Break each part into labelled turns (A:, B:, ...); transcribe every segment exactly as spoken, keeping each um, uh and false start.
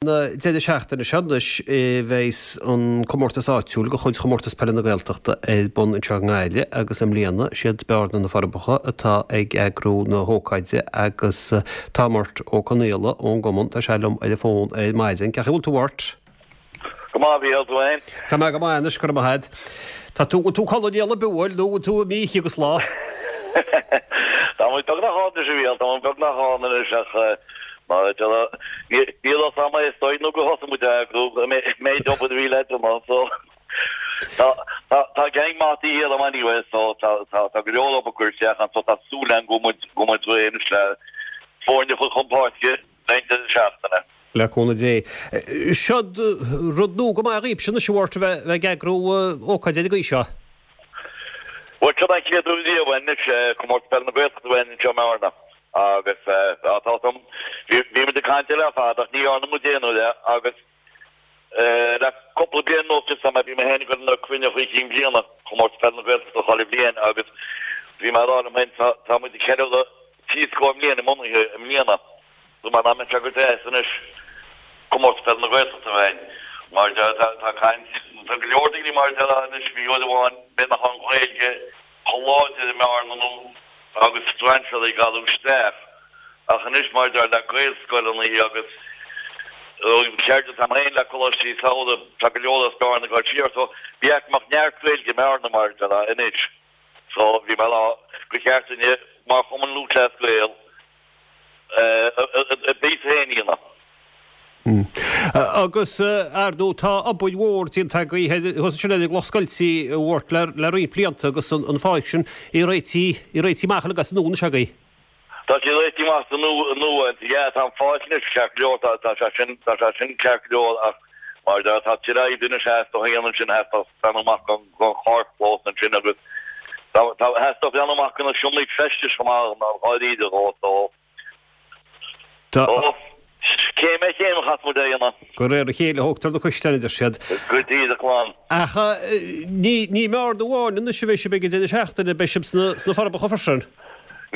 A: Deireadh seachtaine seo anois bheas an comórtas áitiúil de chuid Chomórtas Peile na Gaeltachta ar bun anseo i nGaillimh agus i mbliana siad Bearna na Forbacha atá ag eagrú na hócáide agus tá Murt Ó Conaola ón gcumann, tá sé liom ar an bhfón ar maidin. Cén chaoi a bhfuil tú Murt?
B: Go maith, a Mhícheáil, tú fhéin?
A: Tá mé go maith anois, go raibh maith agat. Tá tú, bhfuil tú ag codladh i ndiaidh bhuel nó bhfuil tú imithe agus lá?
B: Tá muid beagnach ann anois a Mhícheáil, tá muid beagnach ann anois ach mar a deir níl fhios a'm é istoíche nó gur thosaigh muid a eagrú an méid obair a bhí le déanamh so tá tá tá gang maith de dhíth orm anyway so tá tá tá go leor obair curtha isteach ann so tá súil agam go bhfuil muid go bhfuil muid réidh anois le foirne a chur chun páirce le an deireadh seachtaine.
A: Le cúnamh Dé. Seo rud nua go maith dhaoibhse anois a Mhurt a bheith ag eagrú ócáid ar an gcaoi seo.
B: Bhuel, seo an chéad uair riamh anois Comórtas Peile na Gaeltachta a bheith anseo i mBearna agus tá fhios a'm, bhí muid ag caint air le fada ach ní dhearna muid aon uair é agus le cúpla bliain anuas just tá mé, bhí mé féin ag dul na cruinnithe chinn bliana Chomórtas Peile na Gaeltachta chuile bhliain agus bhí mé ag rá liom féin tá muid ag ceiliúradh trí scór mbliain a mbunaithe i mbliana. Dúirt mé nach mbeadh sé go deas anois Comórtas Peile na Gaeltachta a bheith againn. Mar tá caint, tá go leor daoine mar a déarfá anois, bhí uair amháin b'fhéidir nach raibh an Ghaeilge chomh láidir i mBearna nó agus strainséirí ag gabháil isteach ach anois mar a déarfá le Gaelscoileanna agus ceird atá agam féin le coláistí samhraidh, tá go leor as Bearna ag dul siar so bhí go mbeadh neart Gaeilge i mBearna mar a déarfá anois. So bhí mé ag rá gur cheart dúinne mar Chumann Lúthchleas Gael a bpíosa féin a dhéanamh.
A: Agus, ar ndóigh, tá obair mhór déanta agaibh thuas ansin ar an gCloch Scoilte, a Mhurt, le roinnt blianta agus an pháirc sin í réitithe, í réitithe amach uilig as an nua anois agaibh.
B: Tá sí réitithe amach as an nua, yeah, tá an pháirc anois ceart go leor, tá sé sin, tá sé sin ceart go leor ach mar a déarfá tá tuilleadh oibre anois theastaigh a dhéanamh ansin, theastódh breathnú amach don charrchlós ansin agus tá, theastódh breathnú amach do na seomraí feistis chomh maith, dháiríre dhó, so.
A: Tá.
B: Céim ar chéim a chaithfeas muid é a dhéanamh.
A: De réir a chéile a thógtar na caisleáin, a deir siad.
B: Go díreach glan.
A: Ach ní i mBearna amháin anois a bheidh sibh ag an deireadh seachtaine, beidh sibh sna Forbacha freisin.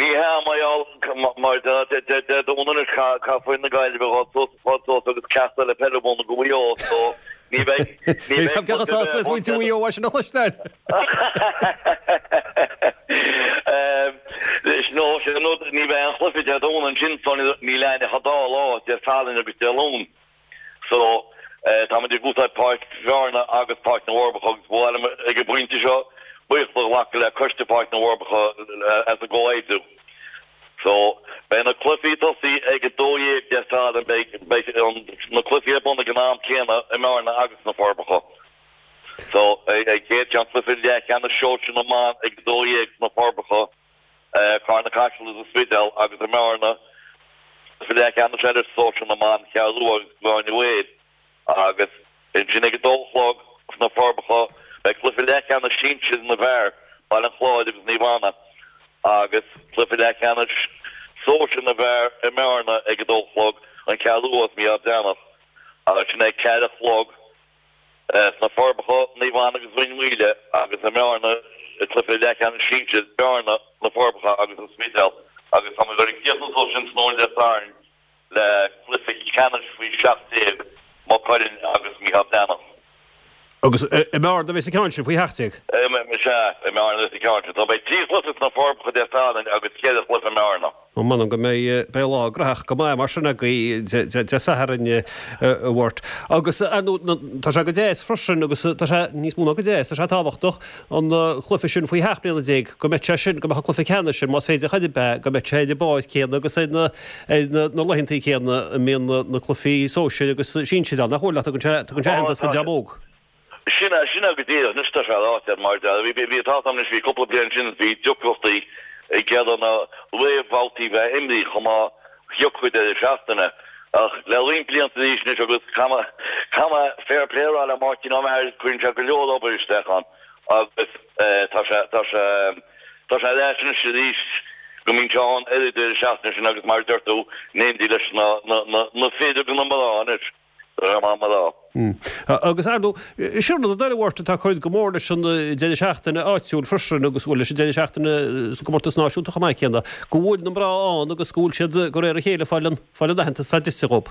B: Ní hea, mar gheall, mar Dé Domhnaigh anois caithfidh foireann na Gaillimhe dhul suas fad suas agus ceacht eile peile a mhúineadh do Mhaigh Eo so ní bheidh, ní bheidh
A: Cé chomh sásta is muintir Mhaigh Eo é sin a chloisteáil?
B: No, sin an rud, ní bheidh aon chluiche Dé Domhnaigh ansin so níl aon ach an dá lá, Dé Sathairn agus Dé Luain. So, táimid ag úsáid Páirc Bhearna agus Páirc na bhForbacha agus ba mhaith liom ag an bpointe seo buíochas a ghlacadh le Coiste Pháirc na bhForbacha as an gcomhoibriú. So, beidh na cluichí ag tosaí ag a dó dhéag Dé Sathairn, beidh beidh na cluichí ar bun ag an am céanna i mBearna agus sna Forbacha. So, ag chéad cheann cluiche leathcheannais sóisir na mban ag a dó dhéag sna Forbacha, Carna Caiseal agus An Spidéal agus i mBearna cluiche leathcheannais eile sóisir na mban, Ceathrú Rua agus Gráinne Mhaol agus ansin ag a dó a chlog sna Forbacha beidh cluiche leathcheannais sinsir na bhfear, Baile an Chláir agus Naomh Anna agus cluiche leathcheannais sóisir na bhfear i mBearna ag a dó a chlog, An Cheathrú Rua agus Mícheál Breathnach agus sin ag ceathair a chlog. Sna Forbacha, Naomh Anna agus Rinn Mhaoile agus i mBearna i gcluiche leathcheannais sinsir, Bearna, Na Forbacha agus An Spidéal agus tá muid ag críochnú suas sin tráthnóna Dé Sathairn le cluiche ceannais faoi seacht déag, Maigh Cuilinn agus Mícheál Breathnach.
A: Agus i mBearna a bheas an ceann sin faoi sheacht déag?
B: Sea, i mBearna a bheas an ceann sin. So beidh trí chluiche sna Forbacha Dé Sathairn agus ceithre chluiche i mBearna.
A: Ó, m'anam go mbeidh, beidh lá graitheach go maith mar sin agaibh Dé Sathairn, a Mhurt. Agus, ar ndóigh, tá sé go deas freisin agus tá sé níos mó ná go deas, tá sé tábhachtach an cluiche sin faoi sheacht mbliana déag, go mbeidh sé sin, go mbeadh an cluiche ceannais sin, más féidir chor ar bith, go mbeidh sé ar an bpáirc chéanna agus ar na, ar na, na laethantaí céanna a mbíonn na cluichí sóisir agus sinsir ann. Nach bhfuil, ach tugann sé, tugann sé aitheantas don dream óg.
B: Sin é, sin é go díreach. Anois tá sé ráite mar bhí, bhí, tá 'fhios a'm anois, bhí cúpla bliain ansin bhí deacrachtaí ag iarraidh na réamhbhabhtaí bheith imrithe chomh maith thiocfadh deireadh seachtaine. Ach le roinnt blianta arís anois agus caithfidh mé, caithfidh mé fair play a rá le Máirtín Ó Meachair, cuireann sé go leor obair isteach ann agus tá sé, tá sé, tá sé ar ais anois arís go mbíonn sé ann ar an deireadh seachtaine sin agus mar a deir tú, in éindí leis na, na, na, na fir agus na mná anois.
A: Agus, ar ndóigh, sin rud eile, a Mhurt, atá ag cur go mór leis an deireadh seachtaine áitiúil freisin agus, bhuel, leis an deireadh seachtaine sa gcomórtas náisiúnta chomh maith céanna, go bhfuil na mná ann agus go bhfuil siad, de réir a chéile, ag fáil an, fáil an aitheantas atá dlite dhóibh.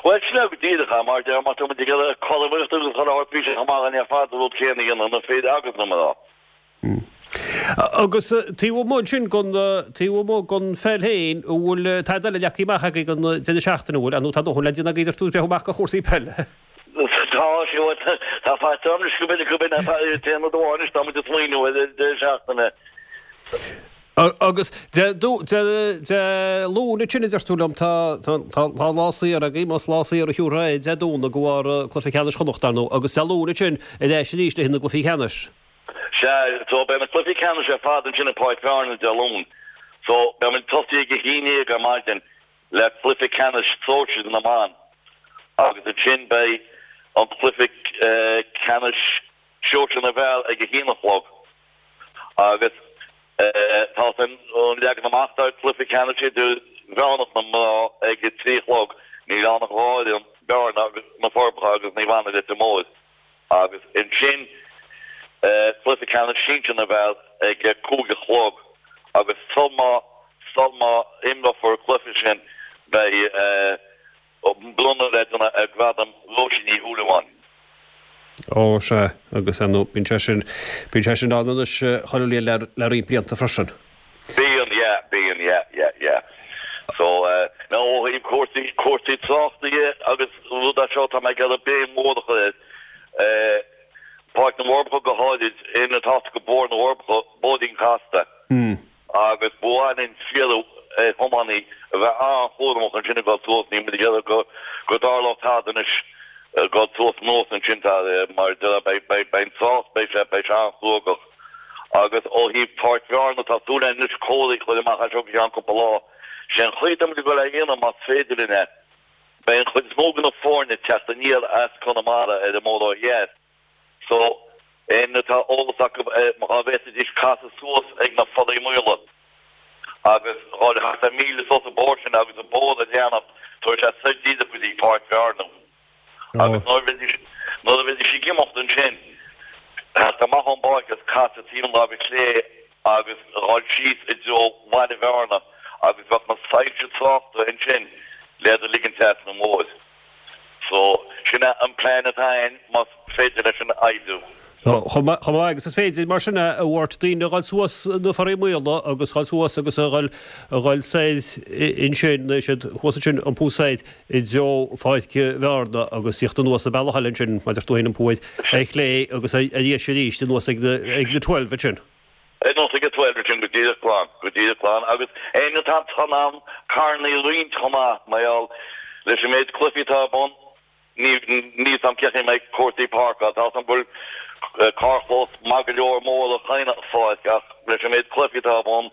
B: Bhuel, sin é go díreach é, mar deir, má tá muid ag iarraidh cothromaíocht agus chuile shórt, bhí sé chomh maith againn ar fad an rud céanna a dhéanamh, na fir agus na mná.
A: Agus taobh amuigh ansin den, taobh amuigh den pheil féin, an bhfuil tada eile leagtha amach agaibh don deireadh seachtaine, an bhfuil, nó tá dóthain le déanamh agaibh ar tú amach do chúrsaí peile?
B: Tá, sea, tá faighte anois go minic go minic, téann na duáin anois, tá muid ag smaoineamh ar an deireadh seachtaine.
A: Agus Dé Luain ansin a deir tú liom, tá tá lá saor agaibh, más lá saor a thiúrfá é Dé Domhnaigh de bharr cluiche ceannais Chonnacht, ar ndóigh, agus Dé Luain ansin ar ais arís le haghaidh na gcluichí ceannais.
B: Sea, so beidh na cluichí ceannais ar fad ansin i Páirc Bhearna Dé Luain. So beidh muid tosaithe ag a haon déag ar maidin le cluiche ceannais sóisir na mban agus ansin beidh an cluiche ceannais sóisir na bhfear ag a haon a chlog agus Tá an leagan amach do chluiche ceannais idirmheánach na mná ag a trí a chlog. Níl ann ach dhá fhoireann, Bearna agus Na Forbacha agus Naomh Anna Leitir Móir. Agus ansin cluiche ceannais sinsir na bhfear ag a cúig a chlog. Agus sul má sul má imreofar an cluiche sin beidh bronnadh le déanamh ar Ghradam Róisín Ní Shúilleabháin.
A: Ó, sea, agus ar ndóigh, bíonn sé sin, bíonn sé sin ann anois chuile bhliain le, le roinnt blianta freisin.
B: Bíonn, yeah, bíonn, yeah, yeah, yeah. So, eh, now ó thaobh cúrsaí, cúrsaí tráchta dhe agus rud é seo, tá mé ag iarraidh béim mhór a chur air, eh, Páirc na bhForbacha go háirid, éinne atá go Bóthar na bhForbacha, bóithrín casta. Agus ba mhaith linn iarraidh ar thiománaí a bheith an-chúramach ansin ag dul suas, níl muid ag iarraidh go go dtarlódh tada anois ag dul suas anuas ansin tá mar beidh beidh beidh an trácht beidh sé beidh sé an-chruógach. Agus ó thaobh Pháirc Bhearna tá súil againn anois comharthaí a chur amach as seo go ceann cúpla lá. Sé an chaoi atá muid ag dul é a dhéanamh más féidir linn é. Beidh an chuid is mó de na foirne ag teacht aniar as Conamara ar an mbóthar ó dheas. So, éinne atá eolas acu ar dhá bhféadfaidís casadh suas ag na Fallaí Maola agus dhul thart ar míle suas an bóthar sin agus an bóthar a leanacht, tabharfaidh sé soir díreach go dtí Páirc Bhearna. Agus nuair a bheidís, nuair a bheidís ag imeacht ansin, theacht amach ón bpáirc agus casadh taobh an láimhe chlé agus dhul síos i dtreo Bhaile Bhearna agus bheadh na soilse tráchta ansin le iad a ligean trasna an bhóthair. So, sin é an plean atá againn, más féidir leis sin oibriú.
A: Chomh maith agus is féidir, mar sin, a Mhairt, daoine a dhul suas na Fallaí Maola agus dhul suas agus a dhul a dhul soir ansin, nó siad thuas ansin iompú soir i dtreo Pháirc Bhearna agus tíocht anuas an bealach eile ansin, mar a deir tú féin, iompú ar ar chlé agus ar dheis arís anuas ag na ag na Twelve ansin.
B: Anuas ag an Twelve ansin go díreach glan, go díreach glan agus éinne atá in ann carrannaí a roinnt chomh maith, mar gheall leis an méid cluichí atá ar bun. Níl fhios a'm cén chaoi a mbeidh cúrsaí páirceála. Tá fhios a'm go bhfuil carrchlós maith go leor mór ag chaon pháirc ach leis an méid cluichí atá ar bun,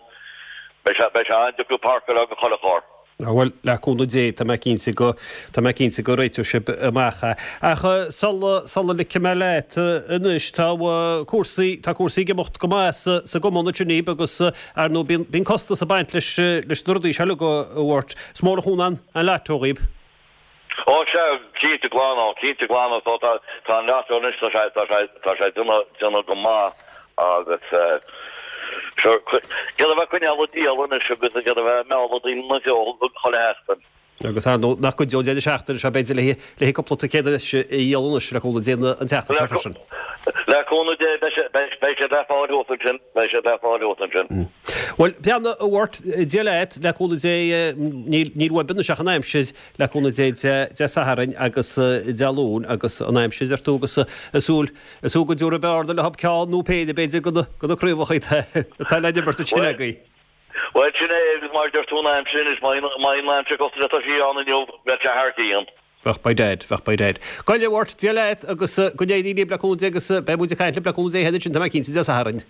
B: beidh sé beidh sé an-deacair páirceáil do chuile charr.
A: Bhuel, le cúnamh Dé, tá mé cinnte go, tá mé cinnte go réiteoidh sibh amach é. Ach sula, sula ligfidh mé leat anois, tá cúrsaí, tá cúrsaí ag imeacht go maith sa, sa gcumann ansin daoibh agus ar ndóigh bíonn, bíonn costas ag baint leis, leis na rudaí seo uilig a Mhairt. Is mór an chúnamh an, an Lotto dhaoibh.
B: Ó sea, cinnte glan ó, cinnte glan ó, so tá, tá an Lotto anois, tá sé, tá sé, tá sé déanamh, déanamh go maith agus eh, sure, céard a bheith coinneáil ag díol anois agus céard a bheith ag mealladh daoine ina threo chuile sheachtain.
A: Agus ar ndóigh, nach gcuideoidh an deireadh seachtaine seo b'fhéidir le, le cúpla ticéad eile a dhíol anois le cúnamh Dé an tseachtain seo freisin.
B: Le cúnamh Dé, beidh sé, beidh, beidh siad le fáil thuas ansin, beidh siad le fáil thuas ansin.
A: Bhuel, breathnaigh a Mhairt, Dia leat, le cúnamh Dé, níl, níl uaibh anois ach an aimsir, Le cúnamh Dé, Dé Sathairn agus Dé Luain agus an aimsir a deir tú agus ag súil ag súil go dtiúrfaidh Bearna leo ceann nó péire b'fhéidir de na craobhacha atá le n-imirt ansin agaibh.
B: Bhuel sin é agus mar a deir tú an aimsir anois má bhíonn an aimsir cosúil le tá sí ann inniu bheadh sé thar cionn.
A: Bheadh by dad, bheadh by dad. Gabh i leith a Mhairt, Dia leat agus go n-éirí libh le cúnamh Dé agus beidh muid ag caint libh le cúnamh Dé féin ansin tá mé cinnte Dé Sathairn.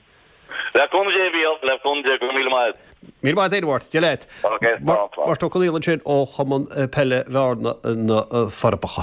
B: Le cúnamh Dé a Mhícheáil, le cúnamh Dé, go raibh míle maith agat.
A: Míle maith agat féin a Mhairt, Dia leat.
B: Ok, slán, slán.
A: Mart Ó Conaola ansin ó Chumann Peile Bhearna na Forbacha.